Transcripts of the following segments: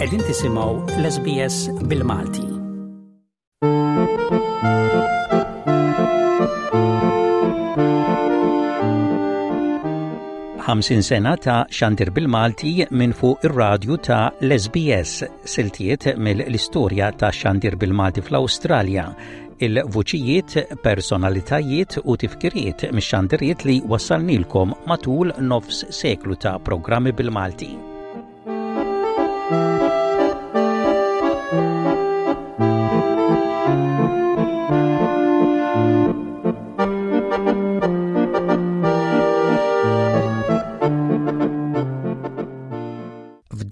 Qegħdin tisimgħu l-SBS bil-Malti. 50 sena ta' xandir bil-Malti minn fuq ir-radju ta' l-SBS, siltiet mill-istorja ta' xandir bil-Malti fl-Awstralja, il-vuċijiet, personalitajiet u tifkiriet mix-xandiriet li wassalnilkom matul nofs seklu ta' programmi bil-Malti.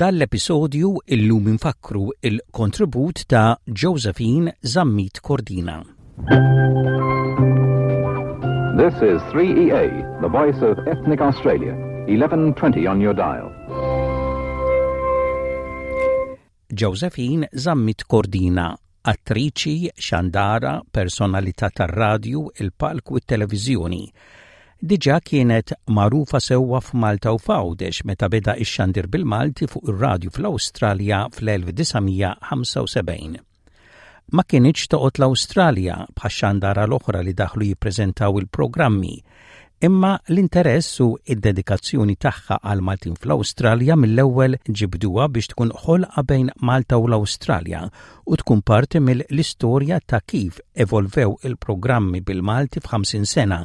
F'dan l-episodju illum infakkru il-kontribut ta' Josephine Zammit Cordina. This is 3EA, the voice of ethnic Australia, 1120 on your dial. Josephine Zammit Cordina, attriċi, xandara, personalità tar-radju, il-palk u t-televiżjoni. Diġà kienet magħrufa sewwa f'Malta u f'Għawdex meta beda x-xandir bil-Malti fuq ir-radju fl-Awstralja fl-1975. Ma kinitx toqgħod l-Awstralja bħax-xandara l-oħra li daħlu jippreżentaw il-programmi, imma l-interess u d-dedikazzjoni tagħha għall-Maltin fl-Awstralja mill-ewwel ġibduha biex tkun ħolqa bejn Malta u l-Awstralja u tkun parti mill-istorja ta' kif evolvew il-programmi bil-Malti f'ħamsin sena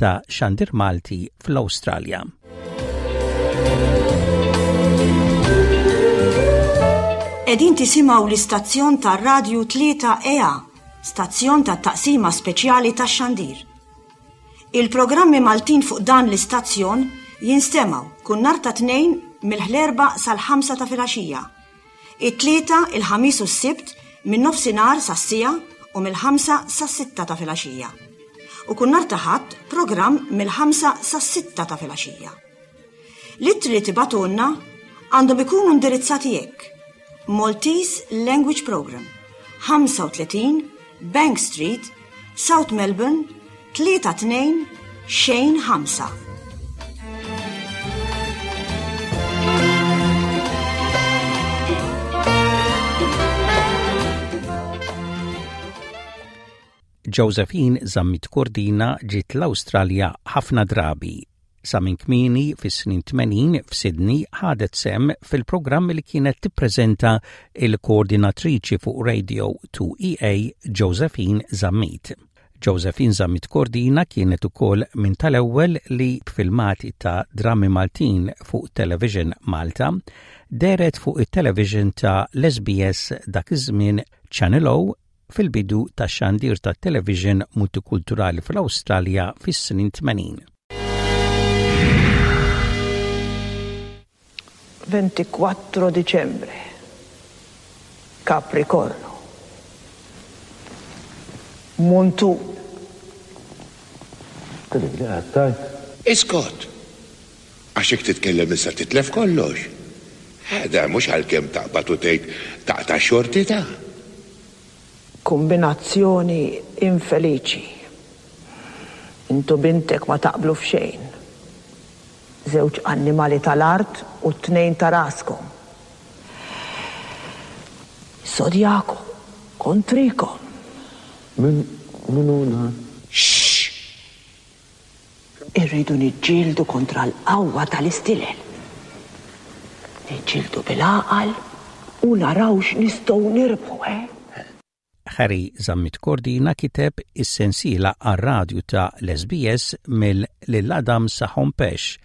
ta' xandir Malti fl-Awstralja. Qegħdin tisimgħu l-istazzjon tar-radju 3EA, stazzjon tat-taqsima speċjali tax-xandir. Il-programmi Maltin fuq dan l-istazzjon jinstemgħu kull nhar ta' Tnejn mill-ħlerba sal-ħamsa ta' filgħaxija It-Tlieta, il-Ħamis u s-Sibt minn nofsinhar sas-siegħa u mill-ħamsa sas-sitta ta' filgħaxija. U kull nhar ta' Ħadd programm mill-ħamsa sas-sitta ta' filgħaxija. L-ittri li tibgħatulna għandhom ikunu indirizzati hekk, Maltese Language Programme, 35 Bank Street, South Melbourne, 3 2 xejn 5. Josephine Zammit Cordina ġiet l-Awstralja ħafna drabi. Sa minn kmieni fis-snin 80 f'Sydney ħadet sehem fil-programmi li kienet tippreżenta il-koordinatriċi fuq Radio 2EA Josephine Zammit. Josephine Zammit Cordina kienet ukoll minn tal-ewwel li b'filmati ta' drammi Maltin fuq Television Malta dehret fuq it-television ta' l-SBS dak iż-żmien Channel O fil-bidu tax-xandir tat-television multikulturali fl-Awstralja fis-snin 80. 24 Dicembre. Capricorno. Muntun. Iskot! Għax jekk titkellem issa titlef kollox. Ħa mhux għalkemm taqbad u tgħid taqta' x-xorti ta'. Kumbinazzjoni infeliċi. Int u bintek ma taqblu f'xejn. Żewġ annimali tal-art u t-tnejn ta' raskom. Is-Sodjaku kontrikom. Min min hu dan? Xxx! Irridu niġġieldu kontra l-qawwa tal-istilel. Niġġieldu bil-għaqal u naraw x'nistgħu nirbħu, eh? Harry Zammit Cordina kiteb is-sensiela għar-radju ta' l-SBS mill Lil Adam sa Hompesch,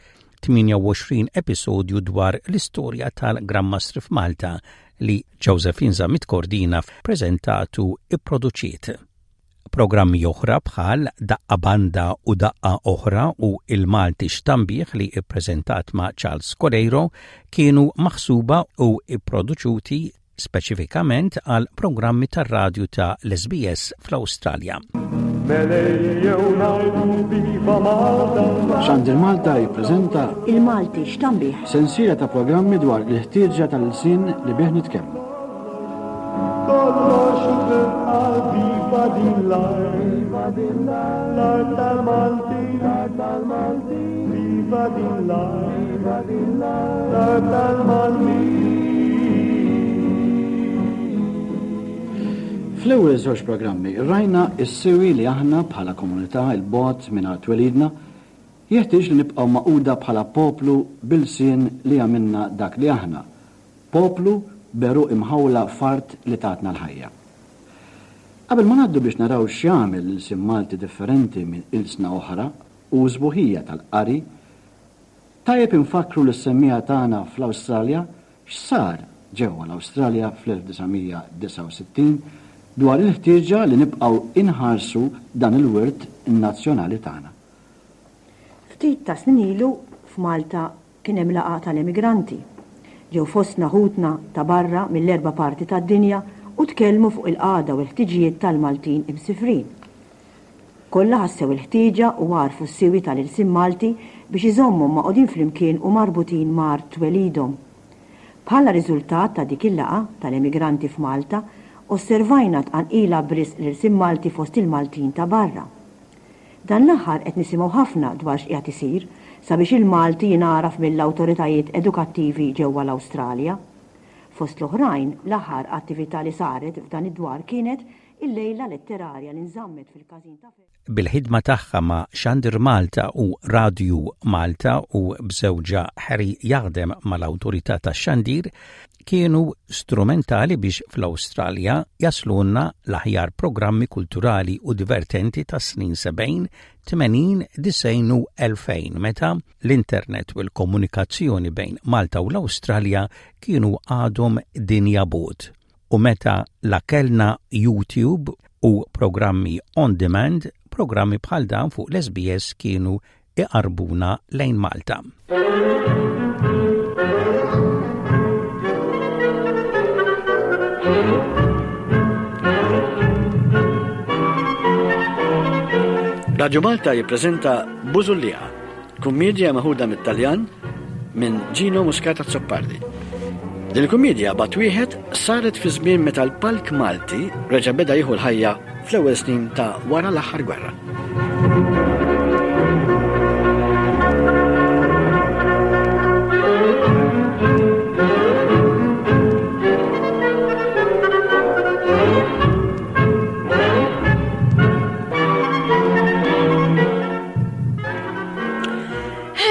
28 episodju dwar l-istorja tal-Gran Mastri f'Malta li Josephine Zammit Cordina ppreżentat u pproduċiet. Programmi oħra bħal Daqqa Banda u Daqqa Oħra u Il-Malti X'Tambih li ppreżentat ma' Charles Coleiro kienu maħsuba u pproduċuti speċifikament għal programmi tar-radju ta' l-SBS fl-Awstralja. Xandir Malta jippreżenta Il-Malti x'tambih? Sensiela ta' programmi dwar il-ħtieġa tal-ilsien li bih nitkellmu. Kollox tibqa' viva din l-art, l-art tal-Maltin, viva din l-art, l-art tal-Maltin. Fl-ewwel żewġ programmi rajna s-siwi li aħna bħala komunità 'l bogħod minn art twelidna jeħtieġ li nibqgħu magħquda bħala poplu b'ilsien li jagħmilna dak li aħna, poplu b'għeruq imħawla f'art li tatna l-ħajja. Qabel ma ngħaddu biex naraw x'jagħmel l-ilsien Malti differenti minn ilsna oħra u s-sbuħija tal-qari, tajjeb infakkru lis-semmiegħa tagħna fl-Awstralja x'sar ġewwa l-Awstralja fl-1969 dwar il-ħtieġa li nibqgħu inħarsu dan il-wirt nazzjonali tagħna. Ftit ta' snin ilu f'Malta Kien hemm laqgħa tal-emigranti. Ġew fostna ħutna ta' barra mill-erba' parti tad-dinja u tkellmu fuq il-qagħda u l-ħtiġijiet tal-Maltin imsifrin. Kollha ħassew il-ħtieġa u għarfu s-siwi tal-ilsien Malti biex iżommhom magħqudin flimkien u marbutin ma' art twelidhom. Bħala riżultat ta' dik il-laqgħa tal-emigranti f'Malta, osservajna tqanqila b'risq l-ilsien Malti fost il-Maltin ta' barra. Dan l-aħħar qed nisimgħu ħafna dwar x'qiegħed isir sabiex il-Malti jingħaraf mill-awtoritajiet edukattivi ġewwa l-Awstralja. Fost l-oħrajn, l-aħħar attività li saret f'dan id-dwar kienet il-lejla letterarja li nżammet fil-każin ta' Bil-ħidma tagħha ma' Xandir Malta u Radju Malta u b'żewġha Harry jaħdem mal-Awtorità tax-Xandir, kienu strumentali biex fl-Awstralja jaslulna l-aħjar programmi kulturali u divertenti tas-snin 70, 80, 90 u 2000 meta l-internet u l-komunikazzjoni bejn Malta u l-Awstralja kienu għadhom dinja bogħod u meta la kellna YouTube u programmi on demand, programmi bħal dawn fuq l-SBS kienu iqarrbuna lejn Malta. Radio Malta jippreżenta Bużulliqa, kummedja meħuda mit-Taljan minn Gino Muscat Azzopardi. Din il-kummedja bat wieħed saret fi żmien meta l-palk Malti reġa' beda jieħu l-ħajja fl-ewwel snin ta' wara l-aħħar gwerra.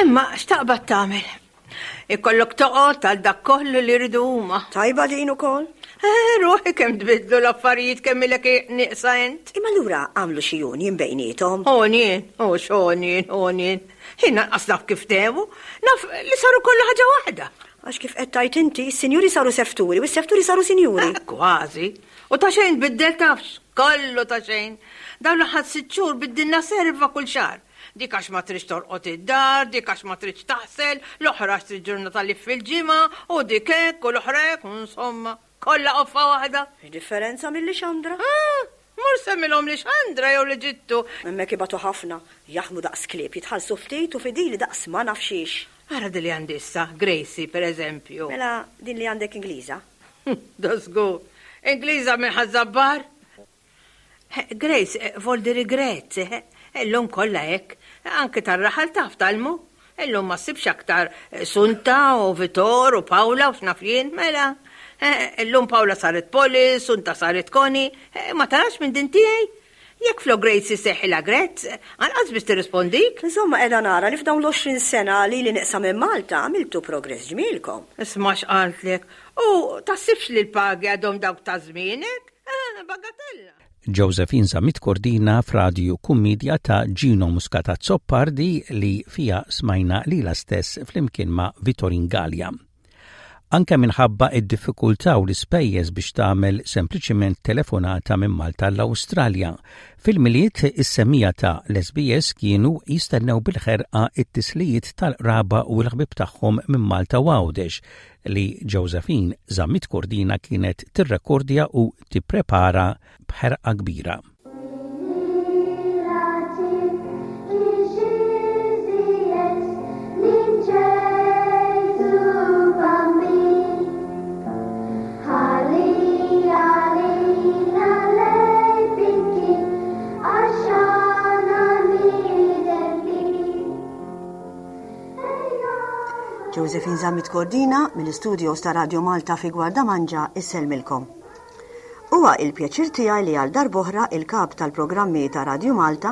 Imma x'taqbad tagħmel? Ikollok toqgħod għal dak kollu li jridu huma. Tajba din ukoll? Eh, ruħi kemm tbiddlu l-affarijiet kemm ilek nieqsa int. Imma allura għamlu xi union bejniethom? Union, oh x'union, union. Jien lanqas naf kif dehmu, naf li saru kollha ħaġa waħda. Għax kif qed tgħid inti, is-sinjuri saru sefturi u s-sefturi saru sinjuri. Eh, kważi. U ta' xejn tbiddel tafx, kollu ta' xejn. Dawn l-aħħar sitt xhur biddilna serva kull xahar. Dik għax ma tridx torqod id-dar, dik għax ma tridx taħsel, l-oħra għax trid ġurnata liv fil-ġimgħa, u dik hekk u l-oħra hekk, u insomma, kollha qoffa waħda. X'differenza minn Lixandra? Ah! Mur semmilhom Lixandra jew l-Eġittu. Hemmhekk ibatu ħafna, jaħdmu daqs klieb, jitħallsu ftit u fidili daqs ma naf xiex. Ara din li għandi issa, Gracie, per eżempju. Mela din li għandek Ingliża? Da żgur. Ingliża minn Ħaż-Żabbar. Grace, voldi regret, illum kollha hekk. Anki tar-raħal taf tgħallmu. Illum ma ssibx aktar Sunta u Vitor u Paula u x'naf jien, mela. Illum Paula saret Polly, Sunta saret Connie. Ma tarax minn din tiegħi? Jekk flok Grace isseħħilha Gretz, anqas biss tirrispondik. Insomma qiegħda nara li f'dawn l-20 sena lili nieqsa minn Malta għamiltu progress ġmielkom. Isma' x'qaltlek. U taħsibx li l-pagi għadhom dawk ta' żmienek? Eh, bagatella. Josephine Zammit Cordina f'radju kummedja ta' Gino Muscat Azzopardi li fiha smajna lilha stess flimkien ma' Vitorin Galea. Anke minħabba id-diffikultà u l-ispejjeż biex tagħmel sempliċiment telefonata minn Malta l-Awstralja. Fil-Milied is-semmiegħa ta' l-SBS kienu jistennew bil-ħerqa it-tislijiet tal-qraba u l-ħbieb tagħhom minn Malta u Għawdex li Josephine Zammit Cordina kienet tirrekordja u tipprepara b'ħerqa kbira. Josephine Zammit Cordina mill-istudios ta' Radio Malta fi Gwardamanġa issellmilkom. Huwa il-pjaċir tiegħi li għal darb'oħra il-Kap tal-Programmi ta' Radju Malta,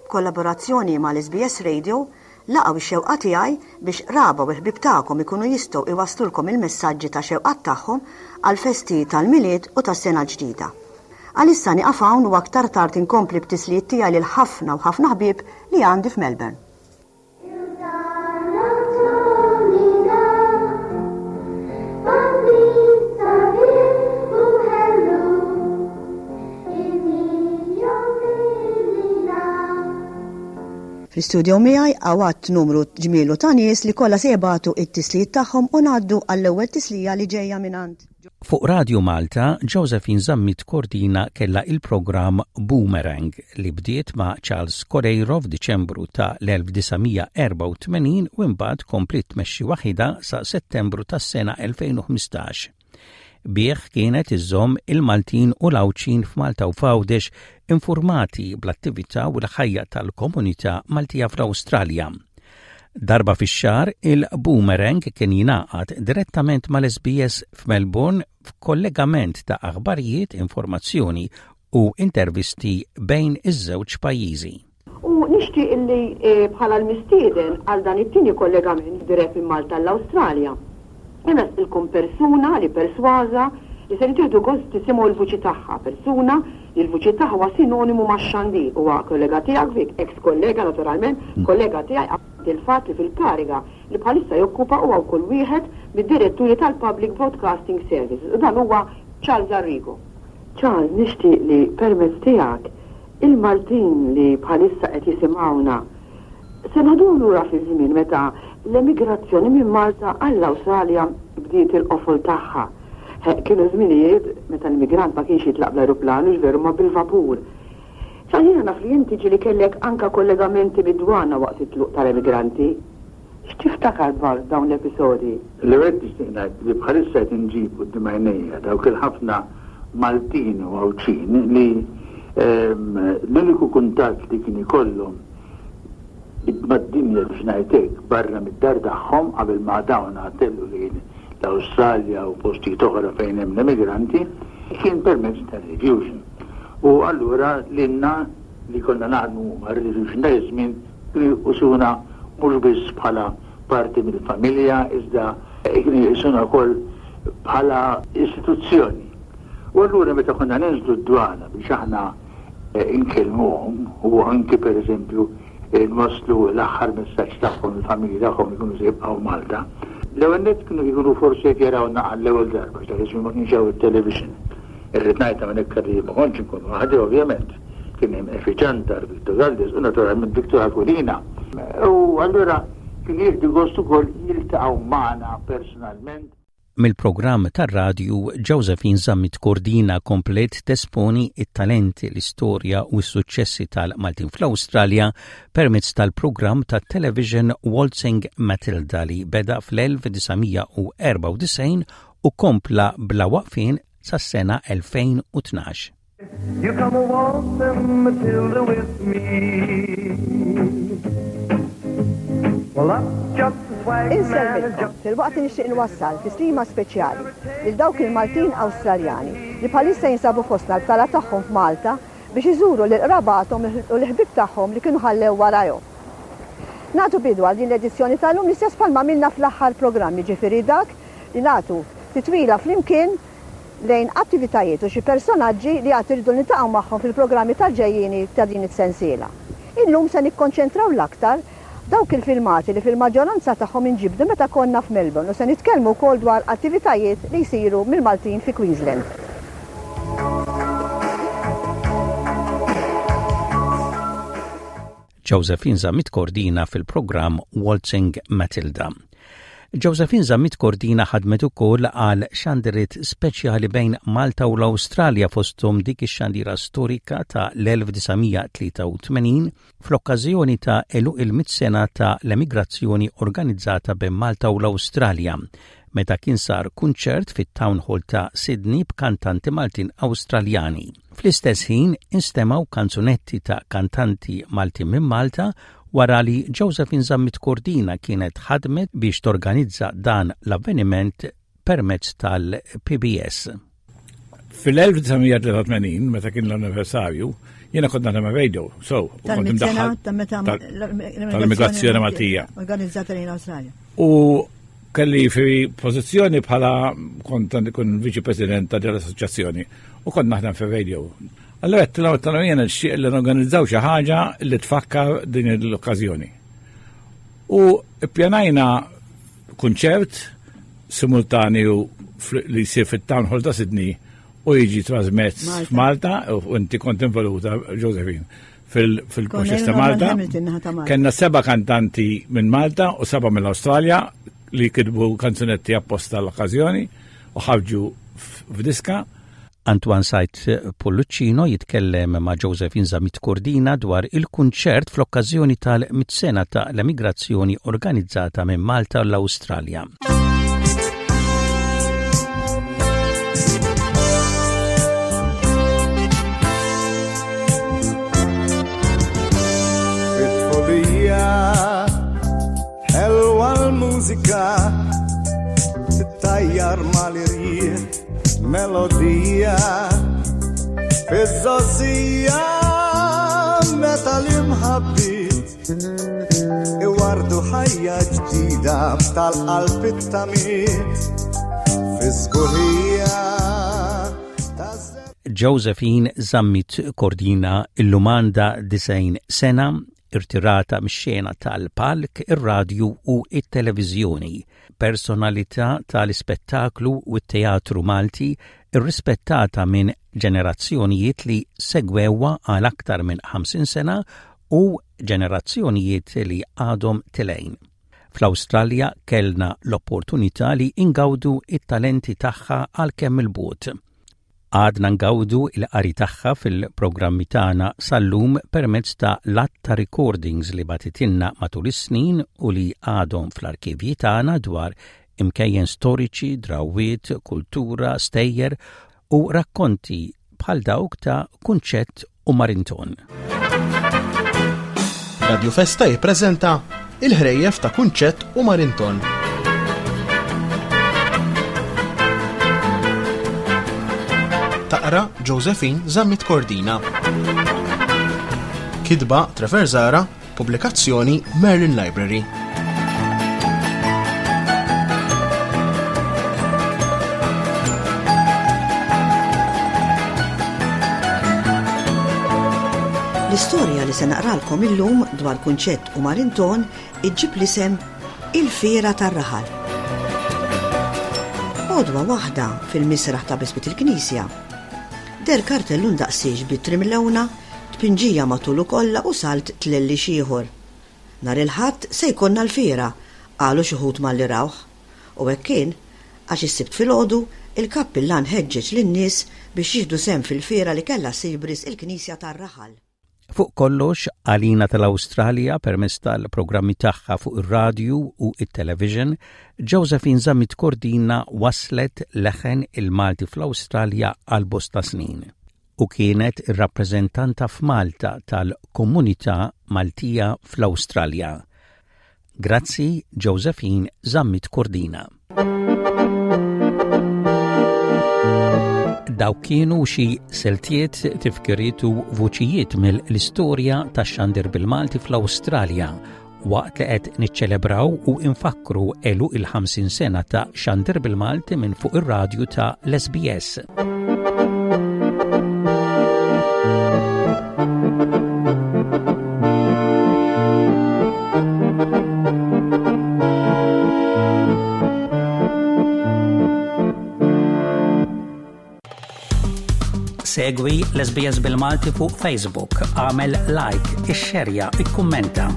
b'kollaborazzjoni mal-SBS Radio, laqgħu x-xewqa tiegħi biex qraba u l-ħbieb tagħkom ikunu jistgħu iwasslulkom il-messaġġi ta' xewqat tagħhom għall-festi tal-Milied u tas-Sena l-Ġdida. Għalissa nieqaf hawn u aktar tard inkompli b'tislijiet tiegħi lil ħafna u ħafna ħbieb li għandi f'Melbourne. Fl-istudio miegħi hawn għadd numru ġmielu ta' nies li kollha se jibagħtu t-tislijiet tagħhom u ngħaddu għall-ewwel tislija li ġejja mingħand. Fuq Radju Malta, Josephine Zammit Cordina kellha il-programm Boomerang li bdiet ma' Charles Coleiro f'Diċembru ta' l-1984 u imbagħad kompliet tmexxi waħidha sa Settembru tas-sena 2015. Bih kienet iżżomm il-Maltin u l-Għawdxin f'Malta u f'Għawdex infurmati bl-attività u l-ħajja tal-komunità Maltija fl-Awstralja. Darba fix-xahar, il-Boomerang kien jingħaqad direttament mal-SBS f'Melbourne f'kollegament ta' aħbarijiet, informazzjoni u intervisti bejn iż-żewġ pajjiżi. U nixtieq illi bħala l-mistieden għal dan it-tieni kollegament dirett minn Malta għall-Awstralja, inressqilkom persuna li persważa li ser tieħdu gost tisimgħu l-vuċi tagħha, persuna li l-vuċi tagħha huwa sinonimu max-xandir. Huwa kollega tiegħek Vic, eks kollega naturalment, kollega tiegħi apparti l-fatt li fil-kariga li bħalissa jokkupa huwa wkoll wieħed mid-diretturi tal-Public Broadcasting Services u dan huwa Charles Arrigo. Charles, nixtieq li permezz tiegħek Il-Maltin li bħalissa qed jisimgħuna se noħduhom lura fiż-żmien meta l-emigrazzjoni minn Malta għall-Awstralja bdiet il-qofol tagħha. Kienu żminijiet meta l-immigrant ma kienx jitlaq bl-ajruplan, hux veru, imma bil-vapur. Sa jiena naf li inti ġieli kellek anke kollegamenti mid-dwana waqt it-tluq tal-emigranti. X'tiftakar dwar dawn l-episodji? L-ewwel nett nixtieq ngħid li bħalissa qed inġib quddiem għajnejja dawk il-ħafna Maltin u Għawdxin li l-uniku kuntatt li kien ikollhom mad-dinja biex ngħid hekk barra mid-dar tagħhom qabel ma dawn telqu lejn l-Awstralja u postijiet oħra fejn hemm l-emigranti kien permezz tar-Rediffusion. U allura lilna li konna naħdmu mar-Rediffusion dak iż-żmien Kienu jqisuna mhux biss bħala parti mill-familja iżda kienu jqisuna wkoll bħala istituzzjoni. U allura meta konna ninżlu d-dwana biex aħna nkellmuhom u anki pereżempju nwasslu l-aħħar messaġġ tagħhom lill-familji tagħhom li kienu se jibqgħu Malta, l-ewwel nett kienu jkunu forsi qed jarawna għall-ewwel darba għax dak iż-żmien ma kienx hawn it-television. Irrid ngħid hawnhekk li ma kontx inkun waħdi ovvjament. Kien hemm Effie Ciantar, Victor Galdes u naturalment Victor Aquilina. U allura kienu jieħdu gost ukoll jiltaqgħu magħna personalment. Mill-programm tar-radju, Josephine Zammit Cordina kompliet tesponi t-talenti, l-istorja u s-suċċessi tal-Maltin fl-Awstralja permezz tal-programm tat-television Waltzing Matilda li beda fl-1994 u kompla bla waqfien sas-sena 2012. You come a waltzing Matilda with me. Well, up jumps the swagman. Insellmilkom, filwaqt li nixtieq inwassal tislima speċjali lil dawk il-Maltin Awstraljani li bħalissa jinsabu fostna l-btala tagħhom f'Malta biex iżuru lil qrabathom u l-ħbieb tagħhom li kienu ħallew warajhom. Nagħtu bidu għal din l-edizzjoni tal-lum l-istess bħalma għamilna fl-aħħar programm, jiġifieri dak li nagħtu titwila flimkien lejn attivitajiet u xi personaġġi li għad irridu niltaqgħu magħhom fil-programmi tal-ġejjieni ta' din is-sensiela. Illum se nikkonċentraw l-aktar dawk il-filmati li fil-maġġoranza tagħhom inġibdu meta konna f'Melbourne u se nitkellmu wkoll dwar attivitajiet li jsiru mill-Maltin fi Queensland. Josephine Zammit Cordina fil-programm Waltzing Matilda. Josephine Zammit Cordina ħadmet ukoll għal xandiriet speċjali bejn Malta u l-Awstralja fosthom dik ix-xandira storika ta' l-1983 fl-okkażjoni ta' għeluq il-mitt sena ta' l-emigrazzjoni organizzata bejn Malta u l-Awstralja meta kien sar kunċert fit-Town Hall ta' Sydney b'kantanti Maltin Awstraljani. Fl-istess ħin instemgħu kanzunetti ta' kantanti Maltin minn Malta wara li Josephine Zammit Cordina kienet ħadmet biex torganizza dan l-avveniment permezz tal-PBS. Fil-1983, meta kien l-anniversarju, jiena kont naħdem radio, so, u kont imdaħħal tal-immigrazzjoni Maltija. Organizzata lejn Awstralja. U kelli fi pożizzjoni bħala kont kun viċi president ta' l-assoċjazzjoni u kont naħdem fi radio. Allora għedtilhom għedtilhom jiena nixtieq li norganizzaw xi ħaġa li tfakkar din l-okkażjoni. U ppjanajna kunċert simultanju li jsir fit-Town Hall ta' Sydney u jiġi trasmezz f'Malta u inti kont involuta Josephine fil-proċess ta' Malta. Kenna seba' kantanti minn Malta u seba' mill-Awstralja li kitbu kanzunetti apposta l-okkażjoni u ħarġu f'diska. Antoine Said Pullicino jitkellem ma' Josephine Zammit Cordina dwar il-kunċert fl-okkażjoni tal-mitt sena ta' l-emigrazzjoni organizzata minn Malta u l-Awstralja. Ħelwa l-mużika tittajjar mal-irjieħ Melodija fiż-żgħożija meta l-imħabbiet iwardu ħajja ġdida tal-qalb it-tamiet fiż-żbuħija Josephine Zammit Cordina illum għandha 90 sena, irtirata mix-xena tal-palk, ir-radju u t-televiżjoni. Personalità tal-ispettaklu u t-teatru Malti rrispettata minn ġenerazzjonijiet li segwewha għal aktar minn 50 sena u ġenerazzjonijiet li għadhom tilgħin. Fl-Awstralja kellna l-opportunità li ingawdu t-talenti tagħha għalkemm 'il bogħod. Għadna ngawdu l-qari tagħha fil-programmi tagħna sal-lum permezz ta' l-għadd ta' recordings li bagħtitilna matul is-snin u li għadhom fl-arkivji tagħna dwar imkejjen storiċi, drawwiet, kultura, stejjer u rakkonti bħal dawk ta' Kunċett u Marinton. Radio Festa jippreżenta Il-ħrejjef ta' Kunċett u Marinton. Taqra Josephine Zammit Cordina. Kitba Trevor Zara, pubblikazzjoni Merlin Library. L-istorja li se naqralkom illum dwar Kunċett u Marinton iġġib l-isem Il-Fiera tar-Raħal. Għodwa waħda fil-misraħ ta' biswit il-knisja. Der kartellun daqsiex b'ittri mlewna, tpinġija matulu kollha u salt tlellix ieħor. Nhar il-Ħadd se jkollna l-fiera, qalu xi wħud malli rawh. U hekk kien, għax is-Sibt filgħodu, il-kappillan ħeġġeġ lin-nies biex jieħdu sehem fil-fiera li kellha ssir b'risq il-knisja tar-raħal. Fuq kollox, għalina tal-Awstralja permezz tal-programmi tagħha fuq ir-radju u t-television, Josephine Zammit Cordina wasslet leħen il-Malti fl-Awstralja għal bosta snin u kienet ir-rappreżentanta f'Malta tal-komunità Maltija fl-Awstralja. Grazzi Josephine Zammit Cordina. Dawk kienu xi siltiet, tifkiriet u vuċijiet mill-istorja tax-xandir bil-Malti fl-Awstralja waqt li qed niċċelebraw u nfakkru għeluq il-50 sena ta' xandir bil-Malti minn fuq ir-radju ta' l-SBS. Segwi l-SBS bil-Malti fuq Facebook, għamel like, ixxerja, ikkummenta.